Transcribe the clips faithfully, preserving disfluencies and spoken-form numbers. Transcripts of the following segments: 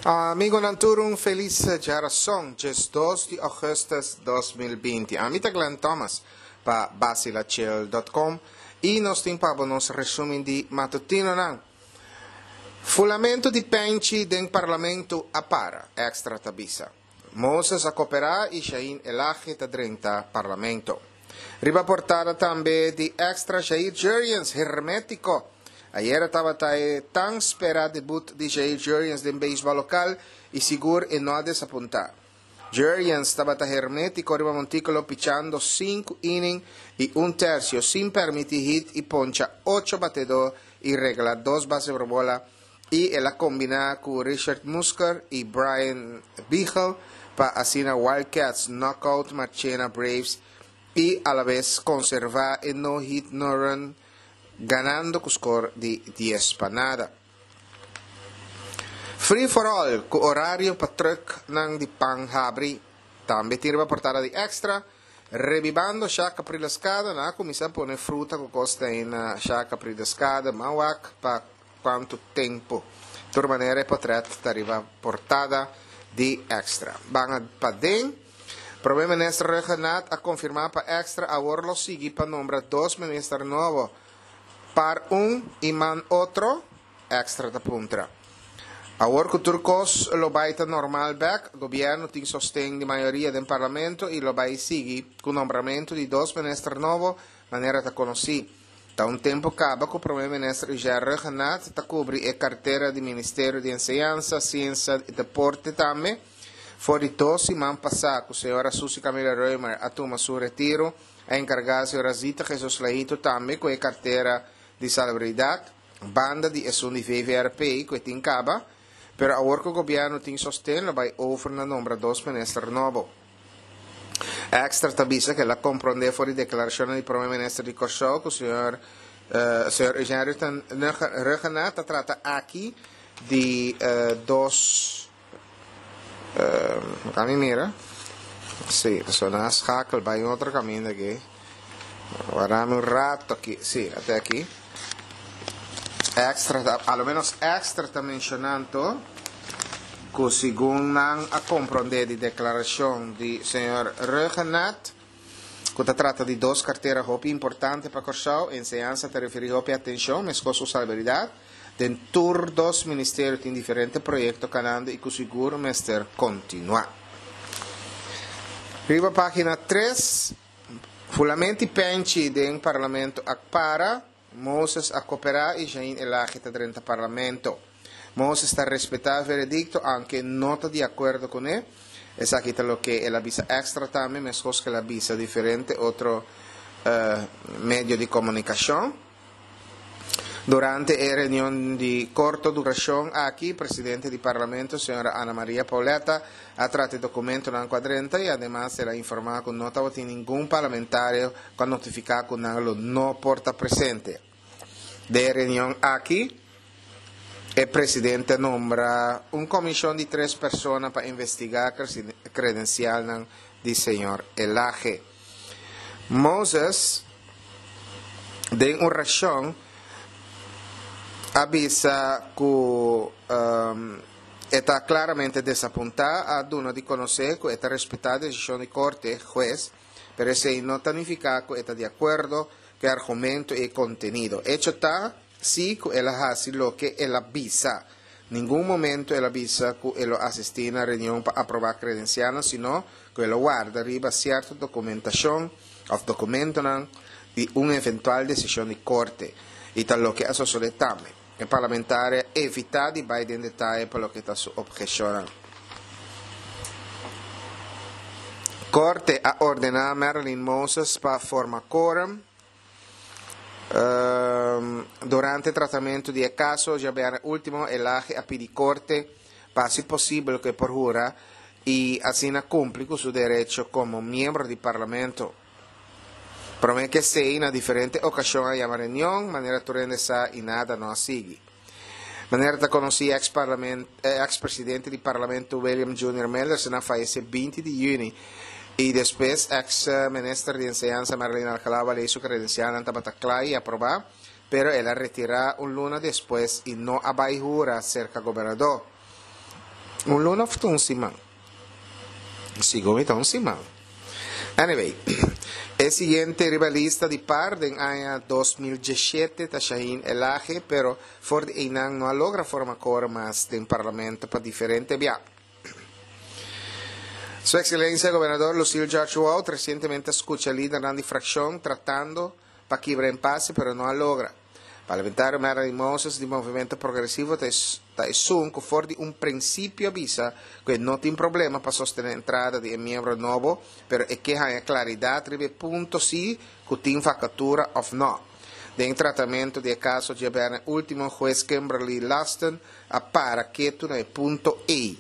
Amigonan tur un felis djarason, diesdos di augustus dos mil binti. Ami ta Glenn Thomas pa Bacilachill dot com y nos tin pa bo nos resumen di matutinonan. Fulamento di penchi den parlamento a para, Extra ta bisa. Moses a coopera y Shain Elhage ta drenta parlamento. Riba portada tambe di Extra Jair Jurrjens, hermetico. Ayera tabata e tan spera debut di Jair Jurrjens den beisbol local y sigur e no a desapunta. Jurrjens tabata hermetico riba monticulo pichando cinco inning y un tercio sin permiti hit y poncha ocho batedor y regla dos base por bola y el a combina cu Richard Musker y Brian Bichel pa asina Wildcats knockout Marchena Braves y a la vez conserva e no hit no run ganando cu score di dies pa nada. Free for all cu horario pa truck nan di pan habri. Tambe tin riba portada di Extra. Rebibando Shaka Prilascada, na cuminsa pone fruta cu costa en Shaka Prilascada, mawak pa cuanto tempo. Tur manera e potret ta riba portada di Extra. Ban a pa den. Prome Minister Rhuggenaath a confirma pa Extra awor lo sigui pa nombra dos minister nobo. Par un y man otro, Extra ta puntra. Awor cu tur cos lo bay ta normal bek, gobierno tin sosten di mayoria den parlamento y lo bay sigui cu nombramento di dos minister nobo, manera ta conoci. Ta un tempo caba cu Prome Minister Jair Rhuggenaath ta cubri e cartera di Ministerio di Enseñansa, Ciencia y Deporte tambe. For di dos siman pasa cu señora Suzy Camelia Römer a tuma su retiro, a encarga señora Zita Jesus Leito tambe cu e cartera di Salubridad, banda di esun di V V R P cu tin caba, pero awor cu gobierno tin sosten lo bay over na nombra dos minister nobo. Extra ta bisa que la comprende for di declaracion di Prome Minister di Kòrsou cu señor, eh, señor Eugene Rhuggenaath ta trata aki di, eh, dos, eh, kami mira. Sí, so na schakel bij otro camino aquí. Guardame un rato aquí. Sí, hasta aquí. Extra, a lo menos Extra está mencionando que según nan a comprender de declaración de señor Rhuggenaath, que se trata de dos carteras hopi importantes para Kòrsou, enseñanza te refiere hopi atención, mescos su salubridad, den tur dos ministerios tienen diferentes proyectos canando y que seguro mester continúa. Riba página tres, Fulamenti Penchi den Parlamento akpara, Moses a cooperar y Jain Elhage ta drenta Parlamento. Moses está respetado el veredicto, aunque no está de acuerdo con él. Es aquí está lo que él avisa Extra también, mejor que él avisa diferente otro, eh, medio de comunicación. Durante la reunión de corta duración aquí, presidente del Parlamento, señora Ana María Pauletta, ha tratado el documento en cuadrenta y además se la informado que no estaba ningún parlamentario con notificar que no no porta presente. De reunión aquí, el presidente nombra una comisión de tres personas para investigar credencial del señor Elhage. Moses, de una reacción, avisa que, um, está claramente desapuntada a duna de conocer que está respetada la decisión de corte, juez, pero ese no significa que está de acuerdo que argumento y contenido. Hecho está, sí, que él hace lo que él avisa. Ningún momento él avisa que él asistí a la reunión para aprobar credenciales, sino que él guarda arriba cierta documentación o documento y una eventual decisión de corte. Y tal lo que eso suele también. El parlamentario evita de Biden detalle por lo que está su objeción. Corte ha ordenado a Marilyn Moses para formar quórum. Ehm, durante el tratamiento de caso, ya vean último, el A G a pedir corte para si posible que por jura y así no cumple con su derecho como miembro del Parlamento. Promete que se en diferentes ocasiones a llamar reunión, manera turendesa y nada no sigue. Manera ta conocí ex parlament, eh, ex presidente del Parlamento William Junior Miller, se fallece veinte de junio. Y después ex, eh, ministra de Enseñanza Marilyn Alcalá le hizo credencial ante Bataclan y aprobar, pero él la retira un luna después y no abaijura cerca gobernador. Un luna òf un siman? Segun mi ta un siman. Anyway, e siguiente riba lista di par den aña dos mil diesshete ta Shahin Elhage, pero for di einan no a logra forma quorum mas den parlamento pa diferente bia. Su Excelencia Gobernador Lucille George Wout recientemente a scucha lidernan di fraccion tratando pa kibra impasse, pero no a logra. Parlamentario Marilyn Moses di Movimento Progresivo ta ta esun cu for di un principio a bisa cu e no tin problema pa sostene entrada di e miembro nobo, pero e ke haña claridad riba e punto si cu tin vacatura of no. Den tratamento di e caso djabièrnè ultimo, hues Kimberly Laston a para ketu na e punto ey.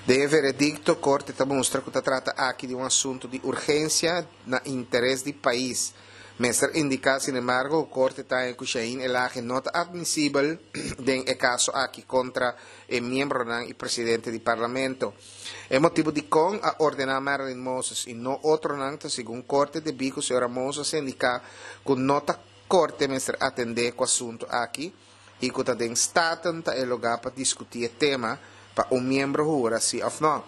Den e veredicto, Corte ta mustra cu ta trata aki di un asunto di urgencia na interes di pais. Mester indica sinembargo cu Corte ta haña cu Shahin Elhage no ta admisibel den e caso aki contra e miembronan y presidente di Parlamento. E motibo dicon a ordena Marilyn Moses y no otronan ta segun Corte debi cu señora Moses a indica cu no ta Corte mester atende cu asunto aki y cu ta den Staten ta e lugar pa discuti e tema pa un miembro hura si of no.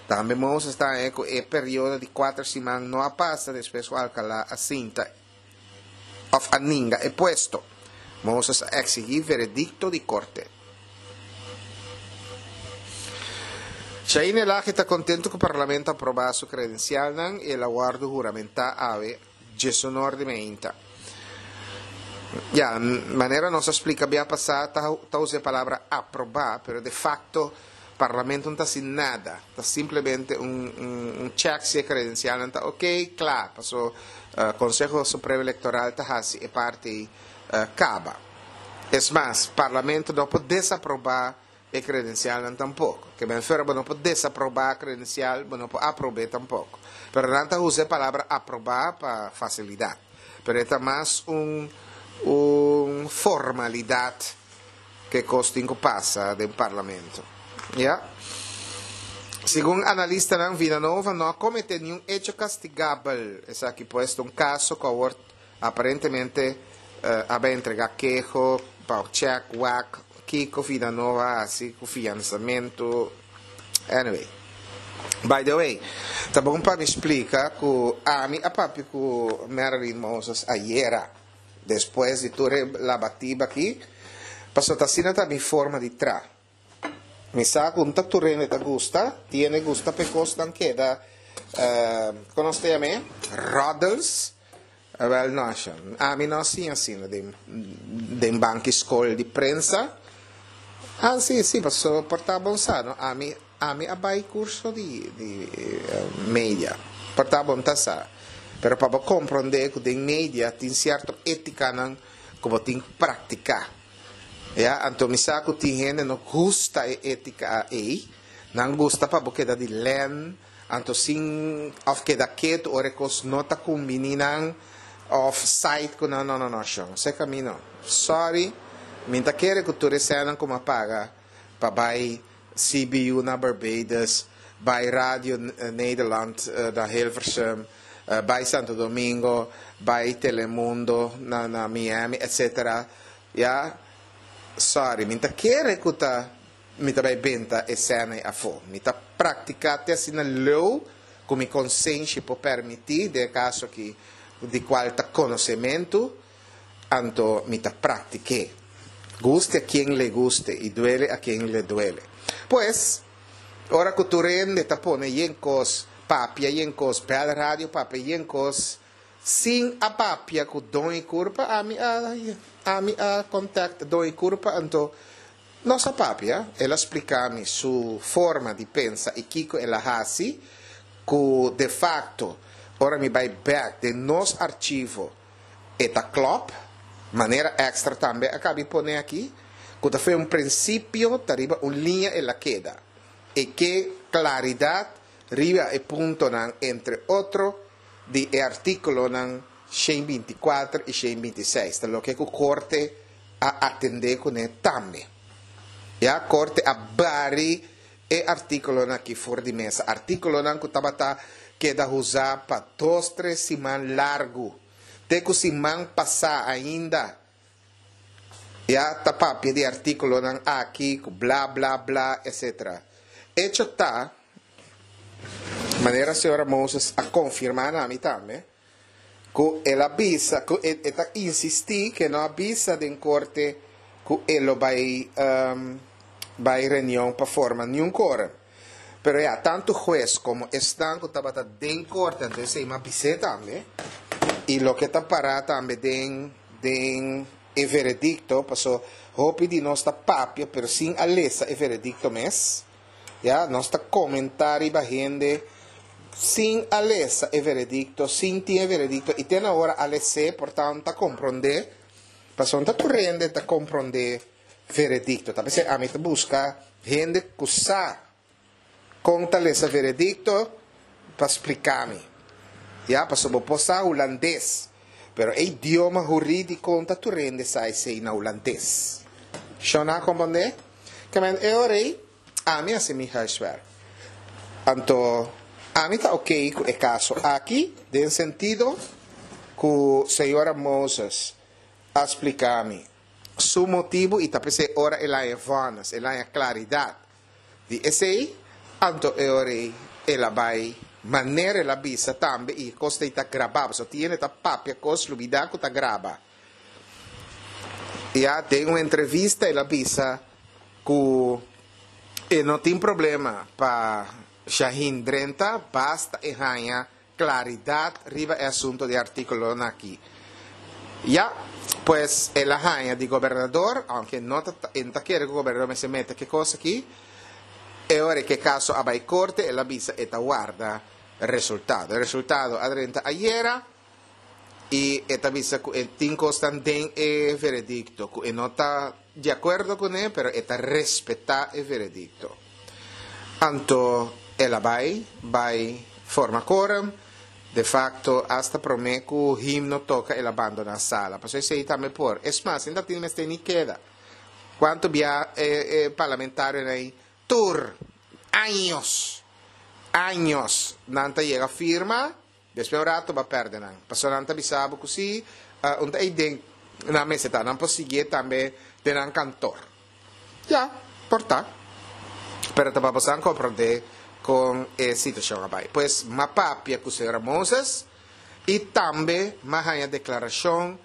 Tambe Moses ta haña cu e periodo di cuater siman no a pasa despues cu Alcalá a sinta of a ninga e puesto. Moses a exigi veredicto di Corte. Shahin Elhage ta contento cu Parlamento a aproba su credencialnan y el a wordo huramenta awe diesunor di meinta. Ya, manera nos a splica bia pasa ta ta usa e palabra aproba, pero de facto Parlamento no ta haci nada, ta simplemente un un un check si e credencialnan ta ok, cla, paso Conseho Supremo Electoral ta haci e parti caba. Es mas, Parlamento no por desaproba e credencialnan tampoco. Ke men fuera bo no por desaproba credencial, bo no por aprobe tampoco. Pero nan ta usa e palabra aproba pa facilidad. Pero e ta mas un un formalidad ke cos tin cu pasa den Parlamento. Ya. Segun analistanan, Vilanova no a comete niun hecho castigabel. Esaki pues ta un caso cu awor aparentemente a bay entrega keho pa check wak kico Vilanova a haci cu fiansamento. Anyway. By the way, ta bon pa mi splica cu ami a papia cu Marilyn Moses ayera, despues di tur e labatiba aki, pasobra ta asina ta mi forma di tra. Mi sa cu no ta tur hende ta gusta, tin hende gusta p'e cosnan keda, con nos ta yam'e? Roddels. Wel no, ami no a siña asina den den banki scol di prensa. Ah, si, si, pasobra por ta bon sa, no? Ami, ami a bai curso di di media, por ta bon ta sa. Pero pa bo comprende cu den media tin cierto eticanan cu bo tin cu practica. Ya, anto mi sa cu tin hende no gusta e etica ey, nan gusta pa bo keda di len, anto sin of keda ketu ora e cos no ta cumbini nan, of side cu nan, no no no shon, se camino. Sorry, mi ta kere cu tur e senan cu mi a paga pa bay C B U na Barbados, bay Radio Nederland na Hilversum, bay Santo Domingo, bay Telemundo na na Miami, etcetera. Ya, sorry, mi ta kere cu ta mi ta bay benta e sena afo. Mi ta practica te asina leu cu mi consenshi por permiti, den e caso aki di cual ta conocemento, anto mi ta practique. Guste a quien le guste y duele a quien le duele. Pues, ora cu tur hende ta pone yen cos, papia yen cos, bel radio papia yen cos, sin a papia cu Don y Curpa, ami a, ami a contact Don y Curpa, anto nos a papia, el a splica mi su forma di pensa y kico el a haci, cu de facto, ora mi bay bek den nos archivo, e ta klop, manera Extra tambe a cabi pone aki, cu ta fue un principio ta riba un liña el a keda. E ke claridad riba e puntonan, entre otro, di e articulonan shen binti kuater y shen binti seis, ta loke cu Corte a atende cune tambe. Ya, Corte a bari e articulonan aki for di mesa, articulonan cu tabata keda usa pa dos, tres siman largo, te cu siman pasa ainda, ya, ta papia di articulonan aki, cu bla bla bla, etcetera. Hecho ta, manera señora Moses a konfirmá na mi tambe, ku el a bisa, ku e ta insistí ku no a bisa den korte ku e lo bai um, bai reunion pa forma ningun quorum. Pero ya, tantu hues komo esnan ku tabata den korte, anto esei m'a bis'é tambe, i loke ta pará tambe den den e veredikto, paso hopi di nos ta papia, pero sin a lesa e veredikto mes. Ya, nos ta komentá riba hende sin a lesa e veredikto, sin tin e veredikto, i te awor a les'é, por tantu komprondé, paso ta tur hende ta komprondé veredikto. Ta p'esei ami ta buska hende ku sa kon ta lesa veredikto pa splika mi. Ya, paso bo por sa hulandes. Pero e idioma hurídiko ta tur hende sa esei na hulandes. Shon a komprondé? Ke men e ora ei, ami a hasi mi huiswerk. Anto, ami ta ok ku e kaso aki, den sentido ku señora Moses a splika mi su motibu i ta p'esei ora el a vonnis, el a klaridat. Di esei, anto e ora ei, el a bai manera el a bisa tambe i kos ta grabá, so tin ta papia kos lubidá ku ta graba. Ya den un entrevista el a bisa ku e no tin problema pa Shaheen drenta, basta e haña klaridat riba e asuntu di artíkulo aki. Ya, pues el a haña di gobernador, aunke no ta ta kere ku gobernador mester mete ku kos aki, e ora ku kaso a bai korte, el a bisa e ta warda resultado. E resultado a drenta ayera i e ta bisa ku tin kos den e veredikto, ku e no ta di akuerdo kuné, pero e ta respetá e veredikto. Anto el a bai, bai forma quorum, de facto hasta promé ku himno toka el a bandoná sala. Paso esei tambe por. Es mas, ainda tin mester ni keda. Kuantu bia eh, eh, parlamentario ei tur años años nan ta yega firma, despues un ratu b'a pèrdè nan. Paso nan ta bisa bo ku si, uh, un ei den na mesa ta, nan por sigui tambe den nan kantor. Ya, por ta. Pero ta pa komprondé kon e situashon a bai. Pues m'a papia ku señora Moses i tambe m'a haña deklarashon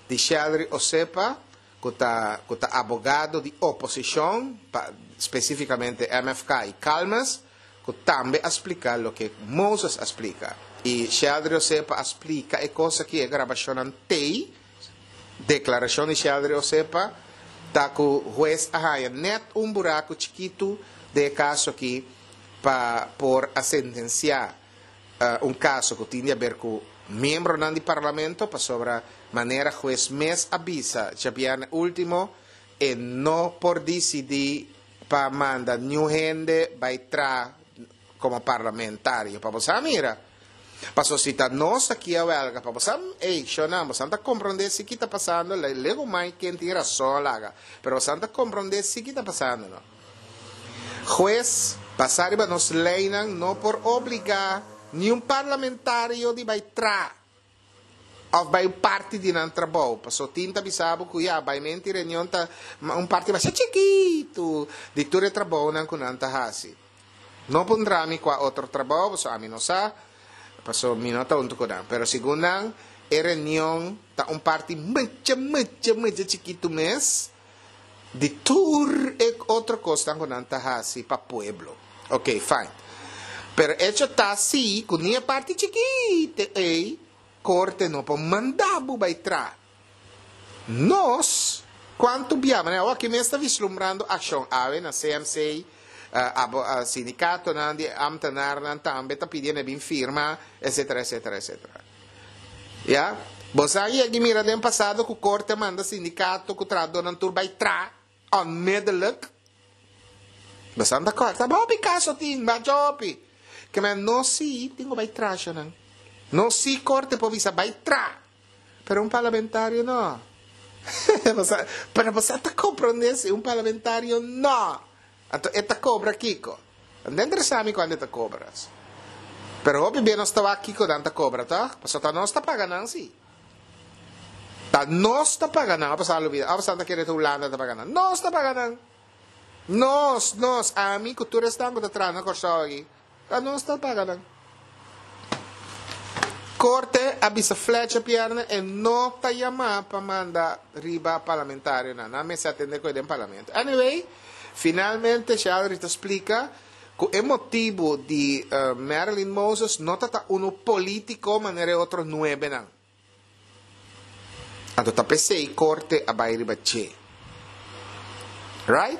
di Sheldry Osepa, ku ta ku ta abogado di oposishon, pa, spesífikamente M F K i Calmes, ku tambe a splika loke Moses a splika. I Sheldry Osepa a splika e kos ku e grabashon tei, deklarashon di Sheldry Osepa, ta ku hues a haña net un buraku chikitu den e kaso aki pa por a sentensiá uh, un kaso ku tin di aber ku miembro di parlamento, pasobra manera hues mes a bisa djabièrnè último, e no por disidí pa manda ningun hende bai traha komo parlamentario. Pa bo mira. Paso si ta nos aki a welga, pa bo, ei, shona, bo ta komprondé si kiko ta pasando, lego mai ken tin rason laga. Pero bo ta komprondé si kiko ta pasando, no? Hues, basá riba nos leinan, no por obligá ningun parlamentario di bai traha òf bai parti di nan trabou. Paso tin ta bisa bo ku ya, bai menti reunion ta un parti masha chikitu di tur e trabounan ku nan ta hasi. No puntra mi kua otro trabou, paso ami no sa, paso mi no ta huntu ku nan. Pero segun nan, e reunion ta un parti mucho, mucho, mucho chikitu mes di tur e otro kos ku nan ta hasi pa pueblo. Ok, fine. Pero hecho ta si, ku ni e parti chikitu ei, korte no por manda bo bai traha. Nos, kuantu bia, ne, aki mes ta vislumbrando akshon, awe na C M C, uh, abo, uh, sindikatonan di ambtenaarnan tambe ta pidiendo bin firma, et cetera, et cetera, et cetera. Ja? Bo a yega mira den pasado ku korte manda sindikato ku trahadónan tur bai traha onmiddellijk. Bo ta kòrda, hopi kaso tin, hopi. Ke men no si, tin ku bai traha nan. No si korte por bisa bai traha. Pero un parlamentario no. Pero bo ta komprondé si un parlamentario no. Anto, e ta kobra kiko. No interesá mi kuantu e ta kobra. Pero hopi bia nos ta wak kiko nan ta kobra, ta? Paso ta nos ta paga nan si. Ta nos ta paga nan, pasa lubidá. Ah, ta kere Hulanda ta paga nan. Nos ta paga nan. Nos, nos, ami ku tur esnan ku ta traha na Kòrsou aki, ta nos ta paga nan. Korte a bisa Fletcher Pierne e no ta yamá pa manda riba parlamentarionan. Nan mester atendé ku e den parlamento. Anyway, finalmente Sheldry ta splika ku e motibu di Marilyn Moses no ta ta unu polítiko manera e otro nuebenan. Anto ta p'esei korte a bai riba dje. Right?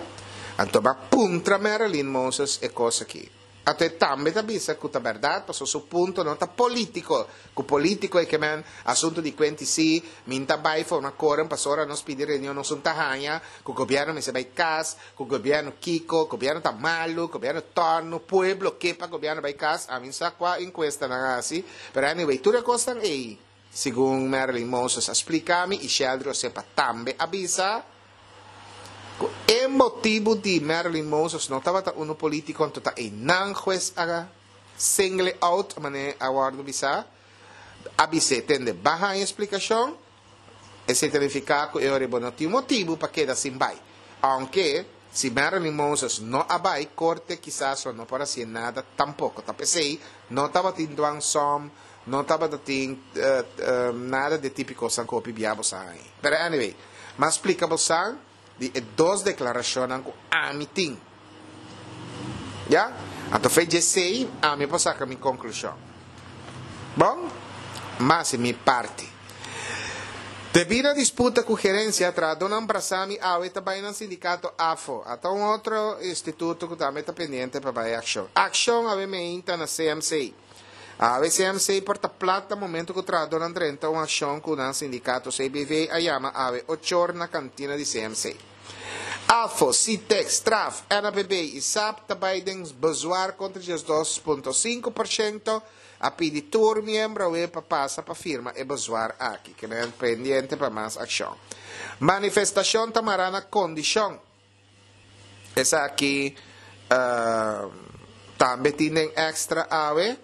Anto ba puntra Marilyn Moses e kos aki. Anto e tambe ta bisa ku ta bèrdat pasobra su punto no ta polítiko. Ku polítiko e ke men asuntu di kuenti si, mi n'ta bai forma koren pasobra ora nos pidi reunion nos un ta haña ku gobièrnu mester bai kas, ku gobièrnu kiko, gobièrnu ta malu, gobièrnu tòrnu, pueblo ke pa gobièrnu bai kas. Ami n'sa kua enkuesta nan a hasi, pero anyway tur e kosnan ei. Segun Marilyn Moses a splica mi y Sheldry Osepa tambe a bisa cu e motibu di Marilyn Moses no tabata uno politico anto ta eynan hues a single out mane a wordo bisa a bis'e tende ba haña splicacion esey ta nifica cu e ora bo no tin motibu pa keda sin bay aunke si Marilyn Moses no a bay corte kisas lo no por haci'e nada tampoco ta pesey no tabatin dwangsom. No tabata tin nada di e típiko san ku hopi bia bo sa haña. Pero anyway, m'a splika bo san di e dos deklarashonnan ku ami tin. Ya? Anto fe djesei ami por saka mi konklushon. Bon? M'a hasi mi parti. Debí na disputa ku gerensia, trahadónan brasá mi awe ta bai nan sindikato afo. Ata un otro instituto ku tambe ta pendiente pa bai akshon. Akshon awe meinta na C M C. Awe C M C por ta plat na momento ku trahadónan drenta un akshon ku nan sindikato C B V a yama awe ochor na kantina di C M C. Afo, Sitex, Straf, N A B B i S A P ta bai den bezwaar kontra diesdos punto sinku por shento. A pidi tur miembro awe pa pasa pa firma e bezwaar aki. Keda pendiente pa mas akshon. Manifestashon ta mará na kondishon. Esaki tambe tin den extra awe.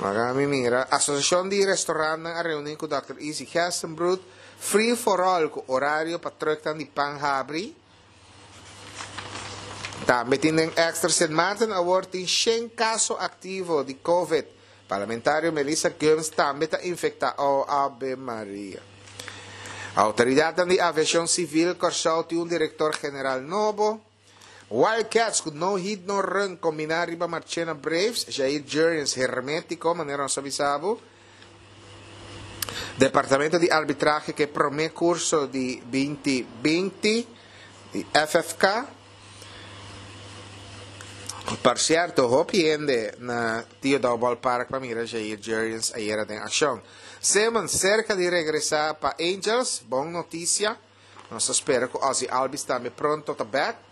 Laga mi mira. Asosiashon di restorantnan a reuní ku dòkter Izzy Gerstenbruth. Free for all ku orario pa trùknan di pan habri. Tambe tin den extra Sint Maarten awor tin shen kaso aktivo di Covid. Parlamentario Melissa Gumbs tambe ta infektá. Oh, Ave Maria. Outoridatnan di Aviashon Sivil Kòrsou tin un direktor general nobo. Wildcats ku no hit no run kombiná riba Marchena Braves, Jair Jurrjens hermétiko manera nos a bisa bo. Departamento di Arbitrahe ku e promé kurso di binti binti di F F K. Por sierto, hopi hende na Tio Daou Ballpark pa mira Jair Jurrjens ayera den akshon. Simmons serka di regresá pa Angels, bon notisia. Nos ta spera ku Ozzie Albies tambe pronto ta bèk.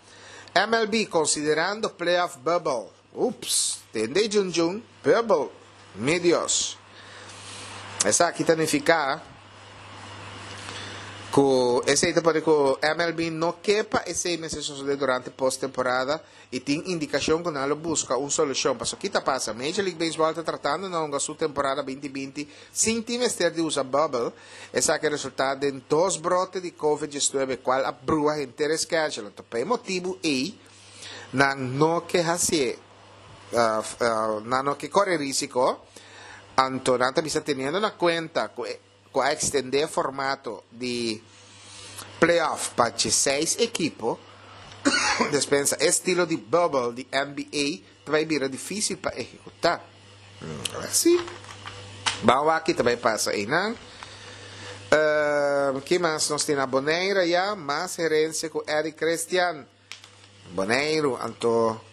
M L B konsiderando playoff bubble. Ups, tende Jun Jun, bubble, mi Dios. Esaki ta nifiká ku esei ta pone ku M L B no ke pa esei mester sosodé durante posttemporada i tin indikashon ku nan lo buska un solushon. Pasobra ki ta pasa? Major League Baseball ta tratando na hunga su temporada binti binti sin tin mester di usa bubble. Esaki a resultá den dos brote di covid diesnuebe kual a brua henter e schedule. Anto pa e motibu ei nan no ke hasié, nan no ke kore risiko. Anto nan ta bisa teniendo na kuenta ku e ku a ekstendé formato di playoff pa diesseis ekipo, despensa e estilo di bubble di N B A ta bai bira difísil pa ehekutá. Sí. Ban wak ki ta bai pasa einan. Ki mas nos tin na Bonaire ya? Mas herensia ku Eric Christian. Boneiru, anto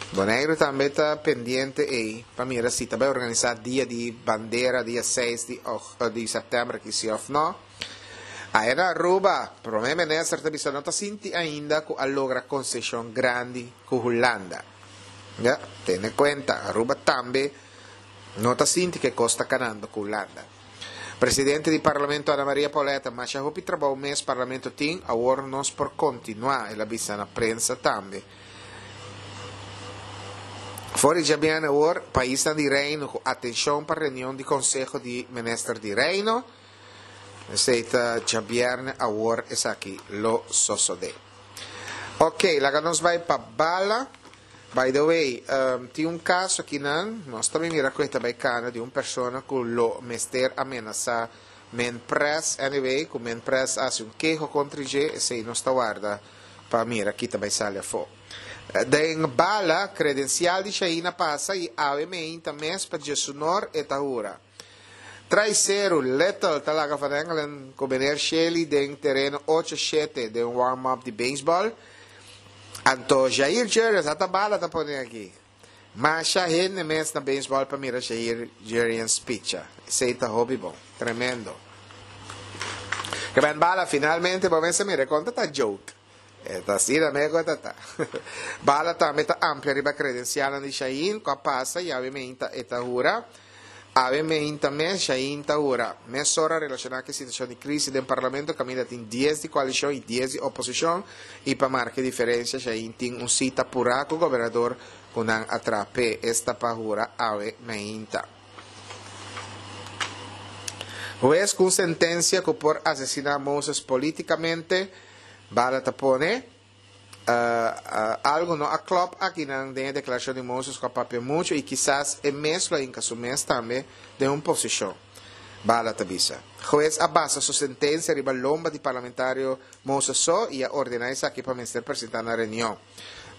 Boneiru tambe ta pendiente ei pa mira si ta bai organisá dia di bandera dia seis di di sèptèmber aki si òf no. Ayer na Aruba, Prome Minister ta bisa no ta sinti ainda ku a logra konseshon grandi ku Hulanda. Ya, tene kuenta, Aruba tambe no ta sinti ku e kos ta kanando ku Hulanda. Presidente di Parlamento Ana Maria Pauletta, masha hopi trabou mes Parlamento tin, awor nos por kontinuá, el a bisa na prensa tambe. For di djabièrnè awor, paisnan di Reino ku atenshon pa reunion di Konseho di Minister di Reino. Esei ta djabièrnè awor esaki lo sosodé. Ok, laga nos bai pa Bala. By the way, um, tin un kaso akinan, nos tambe mira ku ta bai kana di un persona ku lo mester a menasá Menpres, anyway, ku Menpres a hasi un keho kontra dje, esei nos ta warda pa mira ki ta bai sali afó. Den Bala, kredensial di Shaina pasa i awe meinta mes pa djesunor e ta hura. Traiseru, Little ta laga Van Engelen ku Meneer Shelly den tereno ocho shete den un warm-up di beisbòl. Anto Jair Jurrjens ata bala ta pone aki. Masha hende mes na beisbòl pa mira Jair Jurrjens picha. Esei ta hopi bon. Tremendo. Ke ben bala finalmente bo mester mira e konta ta joke. E ta asina me ku e ta ta. Bala tambe ta amplia riba kredensialnan di Shahin ku a pasa i awe meinta e ta hura. Awe meinta mes Shahin ta hura. Mesora relashoná ku e situashon di krisi den parlamento kaminda tin dies di koalishon i dies di oposishon i pa marka e diferensia Shahin tin un sita purá ku gobernador ku nan a traha p'e esta pa hura awe meinta. Hues ku un sentensia ku por asesiná Moses polítikamente, Bala ta pone, Algu no a klòp akinan den e deklarashon di Moses ku a papia muchu i kisas e mes lo a hinka su mes tambe den un posishon, Bala ta bisa. Hues a basa su sentensia riba lomba di parlamentario Moses so i a ordená esaki pa mester presentá na reunion.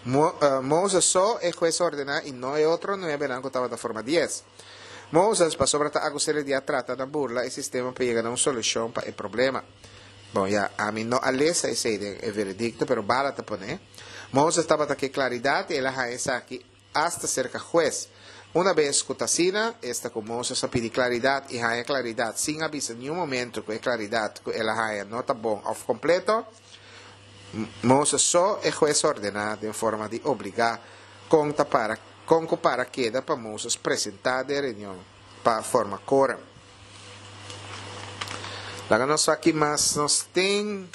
Moses so e hues a ordená i no e otro nuebenan ku tabata forma dies. Moses, pasobra ta akus'é di a trata na burla e sistema pa yega na un solushon pa e problema. Bon, ya, ami no a lesa esei den e veredikto, pero Bala ta pone, Moses tabata ke klaridat i el a haña esaki asta serka hues. Una bes ku ta asina, esta ku Moses a pidi klaridat i haña klaridat sin a bisa niun momento ku e klaridat ku el a haña no ta bon òf kompleto, Moses so e hues ordená den forma di obligá kon ta para kon ku para keda pa Moses presentá den reunion pa forma kórum. Laga nos wak ki mas nos tin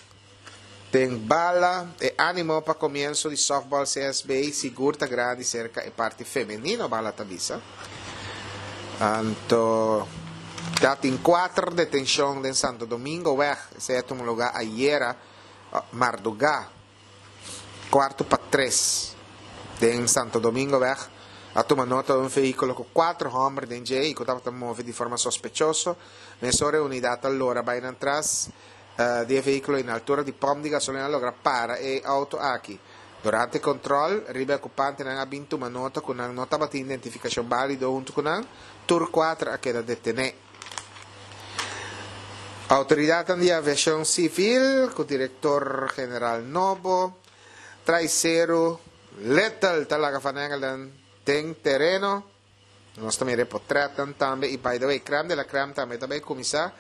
den bala. E animo pa komienso di softball C S B sigur ta grandi serka e parti femenino, bala ta bisa. Anto ya tin kuater detenshon den Santo Domingo weg. Esei a tuma lugá ayera mardugá, kuarto pa tres, den Santo Domingo weg. A tuma nota di un vehíkulo ku kuater hòmber den dje i ku tabata move di forma sospechoso. Mesora e unidat a lora bai nan tras di e vehíkulo i na altura di pòmp di gasolina a logra para e outo aki. Durante e kòntròl riba e okupantenan a bin tuma nota ku nan no tabatin identifikashon bálido huntu ku nan. Tur kuater a keda detené. Outoridatnan di aviashon sivil ku direktor general nobo, Traiseru Little ta laga Van Engelen den tereno. Nos ta mira e potretnan tambe y by the way crème de la crème tambe ta bay cuminsa.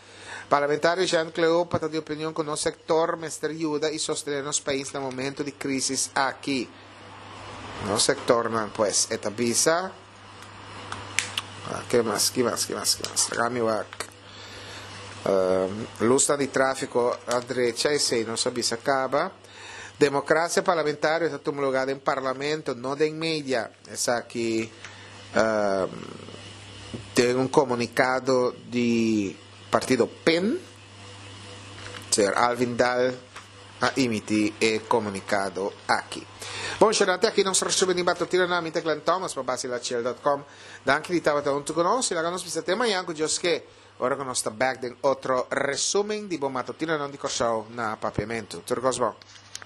Parlamentario Jean Cleopa ta di opinion cu nos sector mester yuda y sostene nos pais na momento di crisis aki. Nos sectornan pues e ta bisa. Ah, ke mas, ki mas, ki mas, ki mas. Laga mi wak. Lusnan di trafico a drecha esey nos a bisa caba. Democracia parlamentario ta tuma lugar den parlamento, no den media. Esaki den un comunicado di partido pen. Señor Alvin Daal a imiti e comunicado aki. Bon, shonante aki nos resumen di Batutino na mi ta Glenn Thomas pa Basilachiel dot com. Danki di tabata huntu cu nos y laga nos bisa te mañan cu Dios ke. Ora ku nos ta bèk den otro resumen di bo matutinonan di Kòrsou na Papiamentu. Tur kos bon.